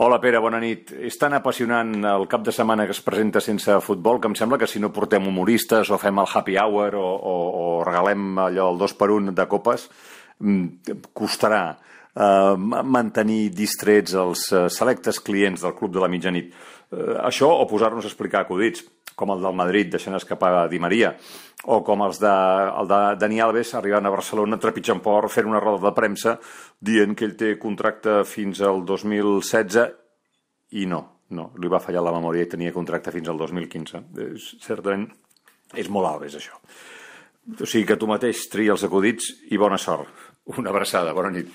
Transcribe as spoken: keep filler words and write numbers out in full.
Hola Pere, bona nit. És tan apassionant el cap de setmana que es presenta sense futbol que em sembla que si no portem humoristes o fem el happy hour o, o, o regalem allò el dos per un de copes, costarà eh, mantenir distrets els eh, selectes clients del Club de la Mitjanit. Eh, això o posar-nos a explicar acudits, com el del Madrid deixant escapar Di Maria, o com els de, el de Dani Alves arribant a Barcelona trepitjant por fent una roda de premsa dient que ell té contracte fins al dos mil setze i no, no, li va fallar la memòria i tenia contracte fins al dos mil quinze. És, certament és molt Alves, això. O sigui que tu mateix tria els acudits i bona sort. Una abraçada, bona nit.